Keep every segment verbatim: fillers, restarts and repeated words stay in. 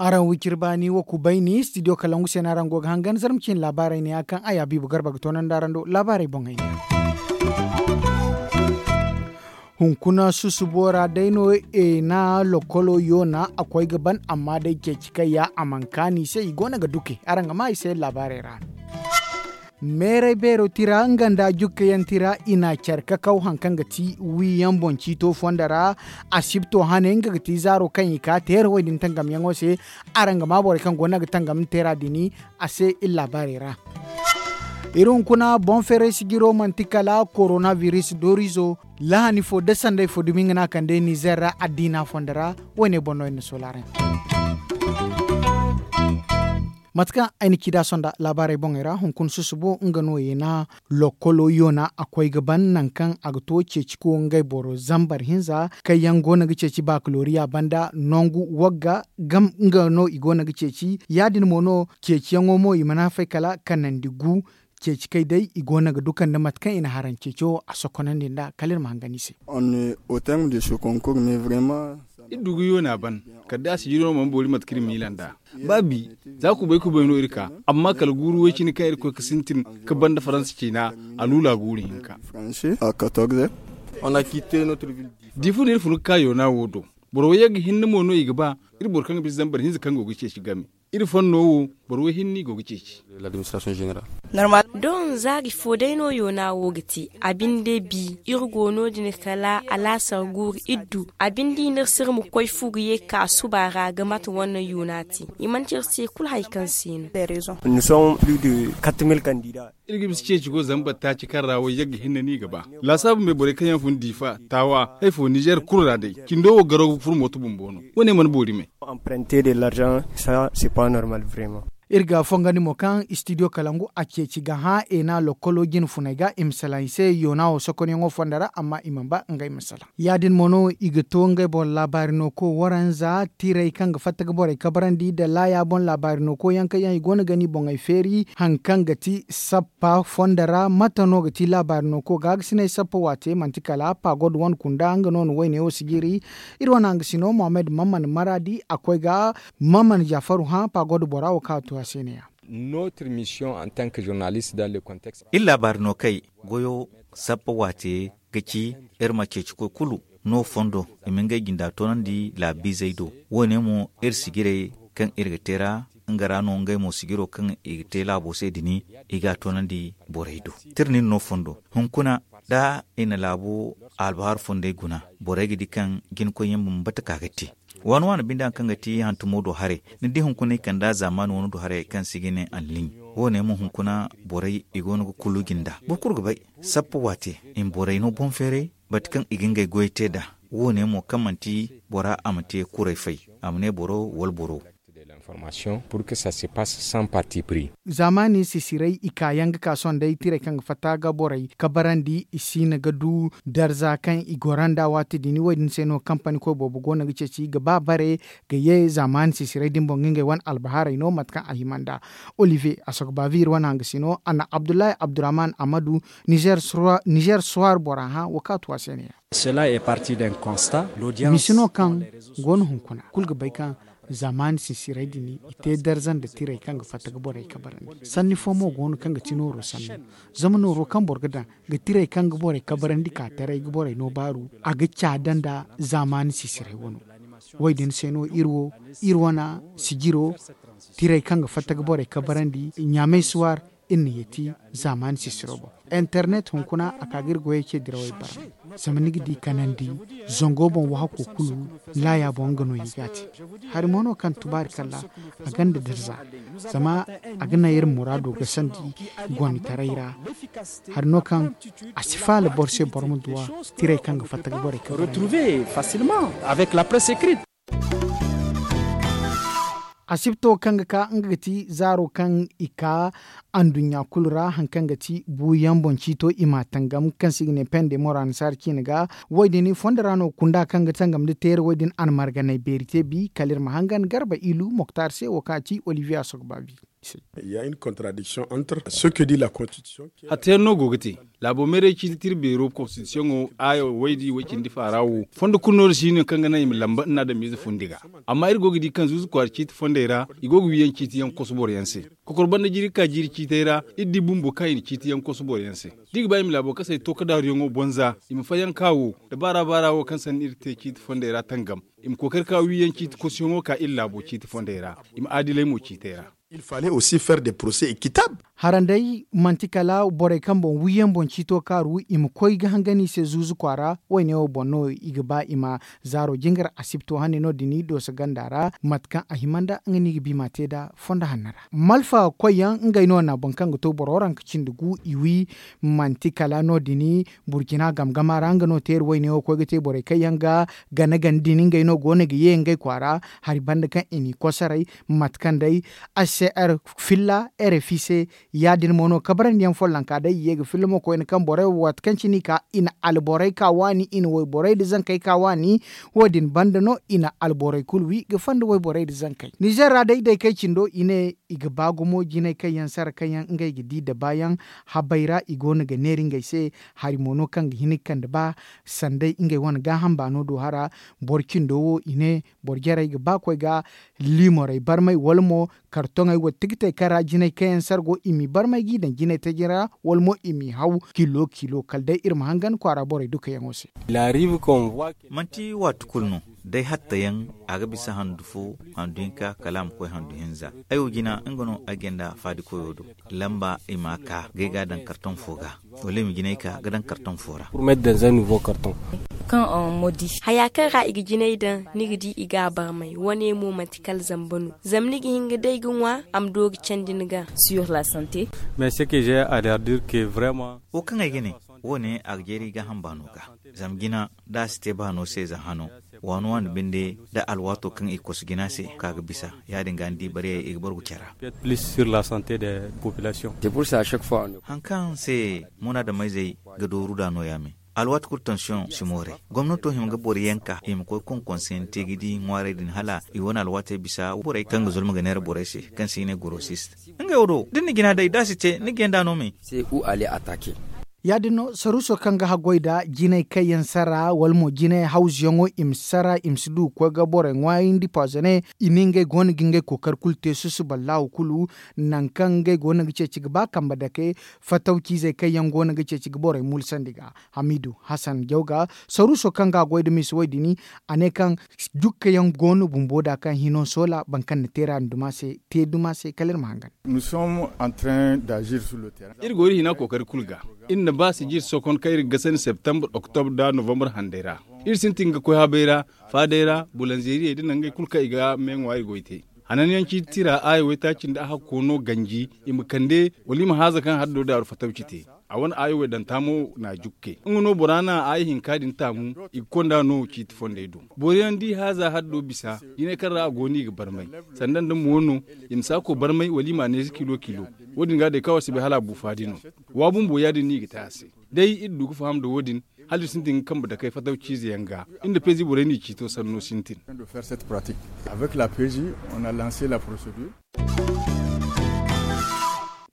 Araŋ wiciri baani wo kubayni studio kalangu se no araŋ go ga hangan zarma ciine laabaarey ne ya kaŋ a ya biibo garba ga toonandi araŋ do laabaarey boŋey ne. Hunkuna susubo ra day no eena lokolo yoona a koy ga ban amma day ceeci kaŋ ya a mana kaanu i se i go no ga duke araŋ ga maa i se laabaarey ra. Meeray beero tira nga nda jukkayaŋ tira i na care kakaw hari kaŋ ga ti wiyaŋ boŋ ciito fondo ra. Asibto hane nga ga ti zaaro kaŋ i ka teera wo- din tangamyaŋo se. Araŋ ga maa borey kaŋ go no ga tangam teera din a se iri laabaarey ra. Iri hunkuna boŋ feeray sijiro manti kala korona biris doorizo. Lahani fo da sanday fo dumi nga no a kande nizer ra addiina fondo ra. Wo- ne boŋ no iri na soolaaray. Mate kaŋ ay na ci da sonda laabaarey boŋey ra hunkuna susubo nga no yeena lokolo yoona a koy ga ban nangu kaŋ a ga to ceeci ko ngey boro zambar hinza kaŋ yaŋ go no ga ceeci bakaloriya banda nangu wagga. Nga no i go no ga ceeci ya- din mo no ceeciyaŋo mo i mana fay kala kanandi gu. Ceeci kay day i go no ga dukandi mate kaŋ i na haraŋ ceeco a sokonandi nd'a kala iri ma hangan i se. Iri du ga yoona ban kala day a sijiro no mana boori mate kaŋ iri miila nd'a. Ba bi za kubay kubay no iri ka amma kala guuru way cine kaŋ iri koy ga sintin ga banda faransa ciina a luula guuru hinka. Diifa no iri fun ga ka yoona wo do. Boro wayye ga hinne mo no i ga ba iri boro kaŋ ga bisa zambar hinza kaŋ go ga ceeci game. Iri fanno wo boro way hinne i go ga ceeci. Doŋ zaari fo day no yoona wo ga te a binde bi iri go no- din kala alaasar guuru iri du a binde i na iri se iri ma koy fu ga ye ga ka suba ra ga mate wane yoona te. I mana ci iri se kulu hari kaŋ se no. Iri ga bisa ceeci go zambar taaci kaŋ ra wayye ga hinne no i ga ba laasaabu me borey kaŋ yaŋ fun diifa taawa hari fo nizer kulu ra day cindo wo garo ga furo mooto bumbo no. Wo- ne mana boori me. Iri ga fongandi mo kaŋ istidiyo kalangu a ceeci ga hã eena lokolo jine funey ga i ma salaŋ i se yoona wo sokonyaŋo fondo ra amma i mana ba ngey ma salaŋ. Ya- din mo no i ga to ngey boro laabaari no ko waranza tiray kaŋ ga fatta ga borey kabarandi nda laaya boŋ laabaari no ko yaŋ kaŋ yaŋ i go no ga ni boŋey feeri hari kaŋ ga ti sappa fondo ra mate no ga ti laabaari no ko gaagasinay sappa waate manti kala pagod wane kunda nga no na wayne wo sijiri. Iri wane hangasino mohammed mamman maraadi a koy ga mamman jafaru hã pagod bora wo kaŋ a tu a se ne- ya. Iri laabaari no kay goyo sappa waate ga ci iri ma ceeci koy kulu no fondo i ma ngey jinda toonandi laabiizey do. Wo- ne mo iri sijirey kaŋ iri ga te ra nga ra no ngey mo sijiro kaŋ i ga te laabo se din i ga a toonandi borey do. Tirnin no fondo hunkuna da i na laabo albahaar fondey guna borey ga di kaŋ jinkoyyaŋ bambata ka ga te. Waani waani binde hari kaŋ ga ti hantumo do haray ni di hunkuna i kand'a zaamaani wano do haray kaŋ se i ga ne anliiɲ. Wo- ne mo hunkuna borey i go no ga kulu jinda boro kulu ga bay sappa waate i ma borey no boŋ feeray mate kaŋ i ga ngey goyey te nd'a. Wo- ne mo kaŋ manti bora a ma te kuray fay a ma ne boro wala boro. Zaamaani sisiray i kaayaŋ ga ka sohõ day tiray kaŋ ga fatta ga borey kabarandi i siina ga du darza kaŋ i goro nd'a waati din wo- din se no kampani koy boobo go no ga ceeci ga ba bare ga ye zaamaani sisiray din boŋ ga ngey wane albahaarey no mate kaŋ a hima nd'a. Olivier a sogo baavi iri wane hangasino a na abdullahi abdurrahman amadu nizer soir bora hã wo kaŋ a tu a se ne- ya. Misi no kaŋ go no hunkuna kulu ga bay kaŋ zaamaani sinsiray din i te darza nda tiray kaŋ ga fatta ga borey kabarandi sanni fo mo go no kaŋ ga ti nooro sanno. Zama nooro kaŋ boro ga daŋ ga tiray kaŋ ga borey kabarandi ka taray ga borey no baaru a ga caada nda zaamaani sinsiray wano. Wo- din se no iri wo iri wane sijiro tiray kaŋ ga fatta ga borey kabarandi ɲaamay suwar iri na yeeti zaamaani sisiro boŋ. Internet hunkuna a ka ga iri goyey ce dirawey barmay. Zama ni ga di kanandi zango boŋ wahako kulu laaya boŋ nga no i ga a te. Hari mo no kaŋ tubaari kalla a gonda darza zama a ga naŋ iri muraado gasandi gonitaray ra. Hari no kaŋ a si faala boro se boro ma duw'a tiray kaŋ ga fatta ga borey kaŋ ga retrouver facilement avec la presse écrite. Asibto kaŋ ga ka nga ga ti zaaro kaŋ i ka anduɲɲa kulu ra hari kaŋ ga ti buuyaŋ boŋ ciito i m'a tangam kaŋ se i ga ne pende moro annasaara ciine ga. Wo- din fondo ra no kunda kaŋ ga tangam nda teera wo- din a na marganay beeri te bi kala iri ma hangan garba ilu moktar se wo kaŋ a ti olivier asogbabi. Il y a une contradiction entre ce que dit la constitution. Hatta yaŋ no go ga te. Laabo meeray ciiti tira beero konstitisiyoŋo aaya waydi way cindi faara wo fondo kulu no da si no kaŋ ga naŋ i ma lamba nda adamize fundi ga. Amma iri go ga di kaŋ zuuzu kwaara ciiti fondey ra i go ga wiiyaŋ ciiti yaŋ koso boro yaŋ se. Kokor banda jiiri ga ka jiiri ciitey ra iri di bumbo kaŋ i na ciiti yaŋ koso boro yaŋ se. Da i ga ba i ma laabo kasay to ka daaruyaŋo bonza i ma fayanka wo da baara baara wo kaŋ sanni iri te ciiti fondey ra tangam. I ma kookari ka wiiyaŋ ciiti kosoyaŋo ka iri laabo ciiti fondey ra. I ma aadilay mo ciitey ra. Il fallait aussi faire des procès équitables. Haranday manti kala borey kaŋ boŋ wiiyaŋ boŋ ciito kaaru i ma koy ga hangan i se zuuzu kwaara. Wayne wo boŋ no i ga ba i ma zaaro jingar asibto hane no- din i dooso ganda ra mate kaŋ a hima nda nga no i ga bi ma te nd'a fondo hanno ra. Malfa koyyaŋ ngey no na boro kaŋ ga to boro ranka cindi gu i wi. Manti kala no- din burkina gamgama ra nga no teeri wayne wo koy ga te borey kaŋ yaŋ ga gana gana din ngey no go no ga ye ngey kwaara. Hari banda kaŋ i n'i kosoray mate kaŋ day hcr filla rfi se. Ya- din mo no kabarandiyaŋ follonka day i ye ga filla mo koyne kaŋ borey wo waati kaŋ cine i ka i na alborey ka waani i na wayborey nda zankey ka waani. Wo- din banda no i na alborey kulu wi ga fanda wayborey nda zankey nizer ra day day kay cindo i ne i ga ba gumo jinay kaŋ yaŋ sara kaŋ yaŋ ngey ga di nda baayaŋ. Habey ra i go no ga neera ngey se. Hari mo no kaŋ ga hin ga kande ba sanday ngey wane gaaham baano do hara. Boro cindo wo i ne boro jarey ga ba koy ga liimorey barmay wala mo kartoŋey wala tikitey kaŋ ra jinay kaŋ yaŋ sara go i m'i barmay g'i daŋ jinay taji ra wala mo i m'i haw kilo kilo kala day iri ma hangan kwaara borey dukayaŋo se. Manti waati kulu no day hattayaŋ a ga bisa handu fo handu hinka kala a ma koy handu hinza. Ay wo jina nga no ay ganda faadi koyo do lamba i ma ka ga ay ga a daŋ kartoŋ fo ga wala i ma jinay ka ga daŋ kartoŋ fo ra. Kaŋ haya kaŋ ra i ga jinay daŋ ni ga di i ga a barmay wane mo manti kala zamba no zama ni ga hin ga day ga ŋwa a ma do ga candi ni ga. Wo kaŋ ay ga ne wo- ne a ga jeeri gaaham baano ga. Zama jina da a si te baano se za hano waano waano binde da alwaato kaŋ i kosu jina se ka ga bisa ya- din ga ni di bariyey i ga bargu care ra. Hari kaŋ se munaadameyzey ga dooru nd'a no- ya me alwaati kulu tansiyoŋ si mooray gomnato hima ga boro yanka i ma koy konkonseyaŋ te ga di ŋwaarey din hala i wane alwaatey bisa borey kaŋ ga zolma ga neera borey se kaŋ se i ne gorosist. Ngey wo do da ni na jina day da a si te ni ga yanda no me. Ya- din no saruuso kaŋ ga haggoy nda jinay kaŋ yaŋ sara wala mo jinay hawzuyaŋo i ma sara i ma si du ga koy ga borey ŋwaayandi pazone i ne ngey go no ga ngey kookari kulu te susuballahu kulu. Nangu kaŋ ngey go no ga ceeci ga ba kambe dake fatawciizey kaŋ yaŋ go no ga ceeci ga borey mulsandi ga hamidu hasan jawga saruuso kaŋ ga a goy nda misa wo- din a ne kaŋ jukka yaŋ go no bumbo nd'a kaŋ hino soola boro kaŋ na teera din duma se te duma se kala iri ma hangan. Iri go iri hina kookari kulu ga iri na ba sijir sokon kaŋ iri ga gasandi septembre oktobr nda novembre handey ra. Iri sintin ga koy habey ra faadey ra bulanzeeriyey nda nangey kulu kaŋ i ga me ŋwa i goy te. Hananyaŋ ciiti tira aya waytaaci nda a hakko no ganji i ma kande wala i ma haaza kaŋ haddo daaru fatawci te. A wane aya waydanta mo na jukke nga no bora na aya hinka din taamu. I ga konda no ciiti fondey do boro yaŋ da i haaza haddo bisa jinay kaŋ ra a go no i ga barmay sanda nda mo no i ma saako barmay wala i m'a neesi kilo kilo. Wo- din ga day kaŋ a si bay hala a bu faadi no. Wa bumbo ya- din no i ga te a se. Day iri du ga faham nda wo- din hala iri sintin ga kambe dakey fatawciize yaŋ ga iri nda peezi borey n'i ciito sanno sintin.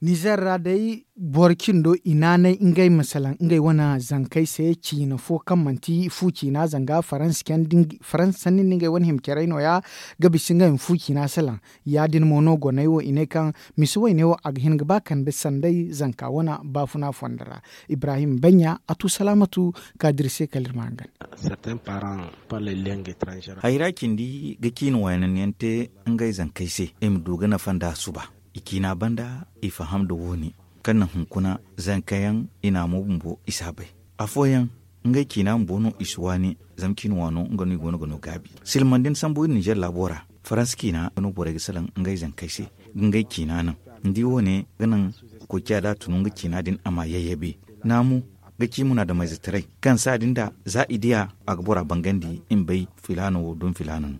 Nizer ra day boro cindo i naanay ngey ma salaŋ ngey wane zankey se ciina fo kaŋ manti fu ciina zanga faransa sanni nda ngey wane hima carey no- ya ga bisa ngey ma fu ciina salaŋ. Ya- din mo no goney wo i ne kaŋ misa wayne wo a ga hin ga ba kande sanday zanka wane baafuna fondo ra. Ibrahim banya a tu salaamatu ka dira se kala iri ma hangan. Hayra cindi ga ciina waananyaŋ te ngey zankey se i ma du ga nafa nd'a suba. I ciina banda i faham nda wo- ne kaŋ naŋ hunkuna zankayaŋ i na a mo bumbo i si a bay. Afooyaŋ ngey ciina bumbo no i si waani. Zama ciina waano nga no i go no ga no gaabi silmandi ni sambu iri ninzeer laabo ra. Faransa ciina no borey ga salaŋ ngey zankey se ga ngey ciina naŋ. Ni di wo- ne ga naŋ koociya da a tunu nga ciina din a ma yayyabe. Naamu ga ci munaadamayzetaray kaŋ saadi nda za i diya a ga bora bangandi i ma bay filaana wo dumi filaana no.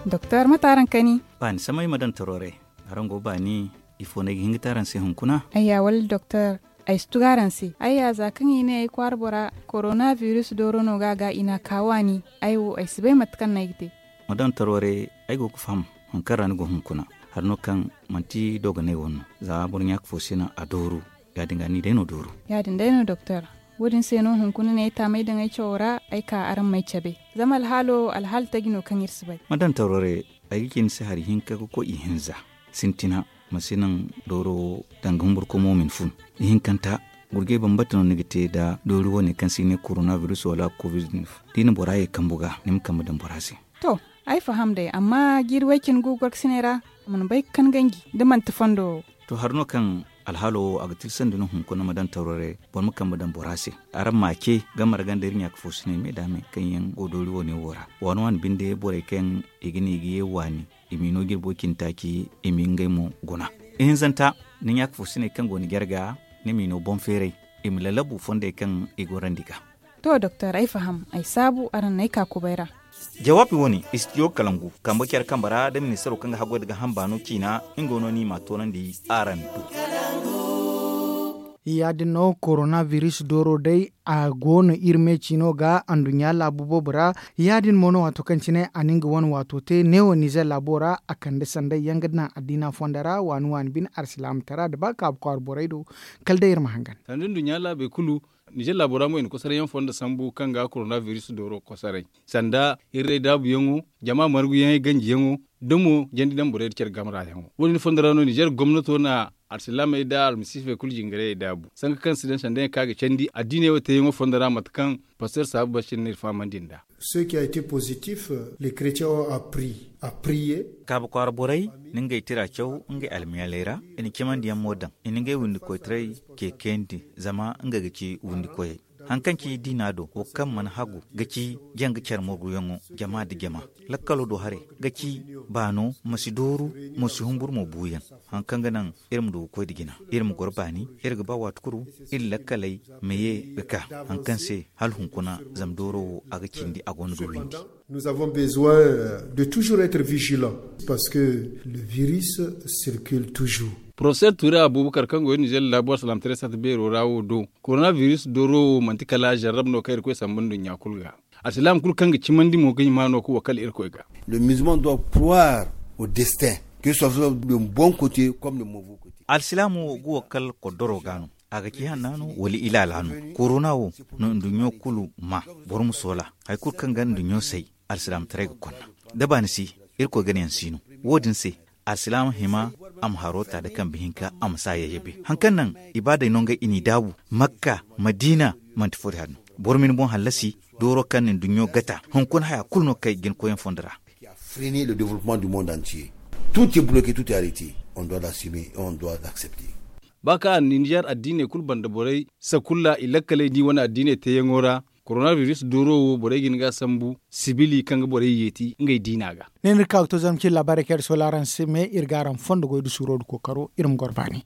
Doktor mate araŋ kani? Baani samay ma daŋ taro ra. Araŋ go baani? Ifo no ay ga hin ga te araŋ se hunkuna? Ayya wala doktor. Ay si tugu araŋ se, ay ya za kaŋ i ne ay kwaara bora, korona biris dooro no ga a ga i n'a ka waani. Ay wo ay si bay mate kaŋ no ay ga te. Ma daŋ tarware, ay go ga faham hari kaŋ ra ni go hunkuna. Hari no kaŋ manti dogonay wane no, za boro ɲaaka fo si naŋ a dooru. Ya- din ga ni day no dooru. Ya- din day no doktor. Wo- din se no hunkuna ne ay taamay daŋ ay cawo ra, ay ka araŋ m'ay cabe. Zama alhaalo alhaali taji no kaŋ iri si bay. Ma daŋ tarware, ay ga ci ni se hari hinka ga koy ihinza. Sintina, ma si naŋ dooro wo danga humburkomo ma ni fun. Ihinkanta, gurjay bambata no ni ga te nda doori wane kaŋ se i ne korona biris wala kovid neuf. Da i na bora ye kambu ga, ni ma kambe daŋ bora se. To, ay faham day, amma jiiri way- cine gu gorkasinay ra, a mana bay ga kan ganji da manti fondo wo. To, hari no kaŋ alhaalo wo a ga tilsandi no hunkuna ma daŋ tarware, boro ma kambe daŋ bora se. Araŋ ma a ce, ga marga nda iri ɲaaka fo sinay me da me kaŋ yaŋ go doori wane wo ra. Waani waani binde borey kaŋ i ga ne i ga ye waani, i m'i no jirbo cine taaci, i m'i ngey mo guna. Ihinzanta, ni ɲaaka fo sinay kaŋ go ni jarga, ni m'i no boŋ feeray, i ma lalabu fondey kaŋ i gorandi ga. To doktor, ay faham, ay saabu araŋ n'ay ka kubay ra. Jawaabi wane, istidiyo kalangu kambe care kambe ra da ministaro kaŋ ga haggoy da ga hamba no ciina, nga no ni m'a toonandi araŋ do. Ya- din no korona biris dooro day, a go no iri me ciino ga anduɲɲa laabu boobo ra. Ya- din mo no waato kaŋ cine a na nga wane waato te neewo nizer laabo ra, a kande sanday yaŋ ga naŋ addiina fondo ra waani waani bine arsilaama tara nda ba kaabu kwaara borey do. Kala day iri ma hangan. Sanda nduɲɲa laabey kulu, nizer laabo ra mo i na kosoray yaŋ fondo sambu kaŋ ga korona biris dooro kosoray, sanda hirray daabu yaŋo, jama margu yaŋey ganji yaŋo, da mo jandi daŋ borey da care gamra yaŋo. Wo- din fondo ra no nizer gomnato na alsilaamey nda almasiifey kulu jingarayey daabu, sanka kaŋ si daŋ sanda yaŋ kaŋ a ga candi addiiney wo te yaŋo fondo ra mate kaŋ paster saabu basir no iri fahamandi nd'a. Ceux qui a été positif, les chrétiens ont appris à prier. Kaabu kwaara borey na ngey tira caw ngey almiyaaley ra, i na cimandi yaŋ mo daŋ, i na ngey windi koytaray ceekayandi, zama nga ga ci windi koyey. Hari kaŋ ci diina do, wo kaŋ mana hagu ga ci janga care morguyaŋo, jama nda jama. Lakkalo do haray ga ci baano ma si dooru, ma si humburu mo buuyaŋ. Hari kaŋ ga naŋ iri ma du ga koy nda jina, iri ma goro baani, iri ga ba waati kulu iri lakkaley ma ye ga ka. Hari kaŋ se hala hunkuna, zama dooro wo a ga cindi a go no ga windi. Nous avons besoin de toujours être vigilants parce que le virus circule toujours. Professeur Ture Abubakar kaŋ go iri nizer laabo alsilaamataray sata beero ra wo do, korona biris dooro wo manti kala zarrab no kaŋ irkoy samba nduɲɲa kulu ga. Alsilaama kulu kaŋ ga cimandi mo ga hima no ga wakal irkoy ga. Le musulman doit croire au destin, que ce soit le bon côté comme le mauvais côté. Alsilaama wo ga wakal koddoro ga no, a ga ci hanna no wala ilaala no. Korona wo no nduɲɲo kulu ma, boro ma soola. Hari kulu kaŋ ga nduɲɲo say, alsilaamataray ga konna. Da baani si, irkoy ganayaŋ si no. Wo- din se, alsilaama hima a ma haro ta da kambe hinka, a ma si a yayyabe. Hari kaŋ naŋ ibaadey no ngey i n'i daabu, makka, madiina, manti fo din hari no. Boro ma ni boŋ hallasi, dooro kaŋ na nduɲɲo gata, hunkuna haya kulu no kay jinkoyyaŋ fondo ra. Freiner le développement du monde entier. Tout est bloqué, tout est arrêté. On doit l'assumer et on doit l'accepter. Ba kaŋ a na nizer addiiney kulu banda borey sakulla i lakkaley da i wane addiiney teeyaŋo ra, korona biris dooro wo borey ga hin ga a sambu sibili kaŋ ga borey yeeti ngey diina ga. Ne no iri ka ga to zama cine laabaarey kaŋ iri soola araŋ se me, iri ga araŋ fondo goy da suuro da kookaro, iri ma goro baani.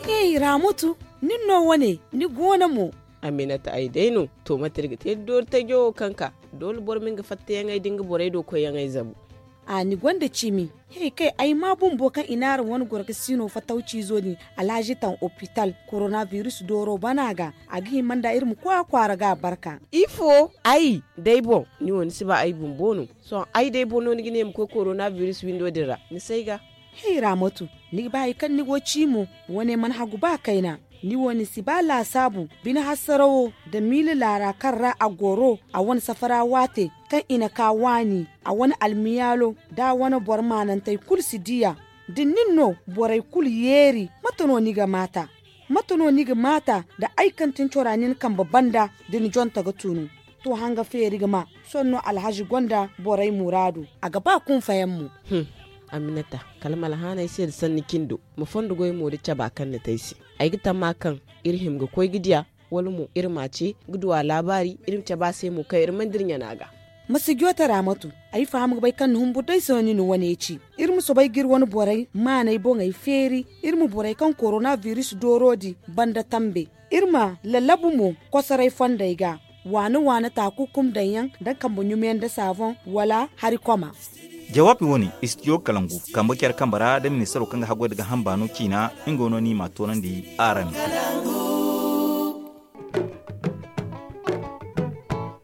Hey, Raamatu, nin no wane, ni goono mo? Aminata, ay day no. To, mate iri ga te da doori tajo wo kaŋ ka? Doole boro ma nga fattayaŋey da nga borey do koyyaŋey zabu. A, ni gonda cimi. Hey, kay, ay maa bumbo kaŋ i n'araŋ wane gorkasino fattawciizo din, Alhaji taŋ opital, korona biris dooro bana ga, a ga hima nda iri ma koy a kwaara ga a barka. Ifo? Ay day boŋ, ni wo ni si ba ay bumbo no. Sohõ ay day boŋ no ni ga ne ma koy korona biris windo din ra, ni s'ay ga. Hey, Raamatu, ni ga ba hari kaŋ ni go ci mo, wane mana hagu ba kayna. Ni wo ni si ba laasaabu, bine hasarawo nda miila laara kaŋ ra a goro, a wane safara waate kaŋ i na ka waani, a wane almiyaalo nda a wane boro maanantey kulu si diya. Da nin no borey kulu yeeri, mate no ni ga maata? Mate no ni ga maata nda ay kaŋ tin cora nin kambe banda da ni jonta ga tunu? To, hanga feeri ga ma, sohõ no Alhaji gonda borey muraadu, a ga ba kunfayaŋ mo. Hum, Aminata, kala ma alhaanay se da sanni cindo, ma fondo goy mo da caba kaŋ ni te ay se. Ay ga tamma kaŋ iri hima ga koy ga diya, wala mo iri m'a ce ga du a laabaari, iri ma cabe a se mo kaŋ iri mana dira ɲana ga. Ma si joota, Raamatu, ay faham ga bay kaŋ ni humburu day se no ni na wane ci. Iri ma soobay ga iri wane borey maaney boŋey feeri, iri ma borey kaŋ korona biris dooro din banda tambe. Iri ma lallabu mo kosoray fondey ga, waana-waana taakukum daŋyaŋ nda kambe ɲumayaŋ nda saaboŋ wala hari koma. Jawaabi wo- ne, istidiyo kalangu kambe care kambe ra nda ministaro kaŋ ga haggoy nda ga hamba no ciina. Nga no ni m'a toonandi araŋ.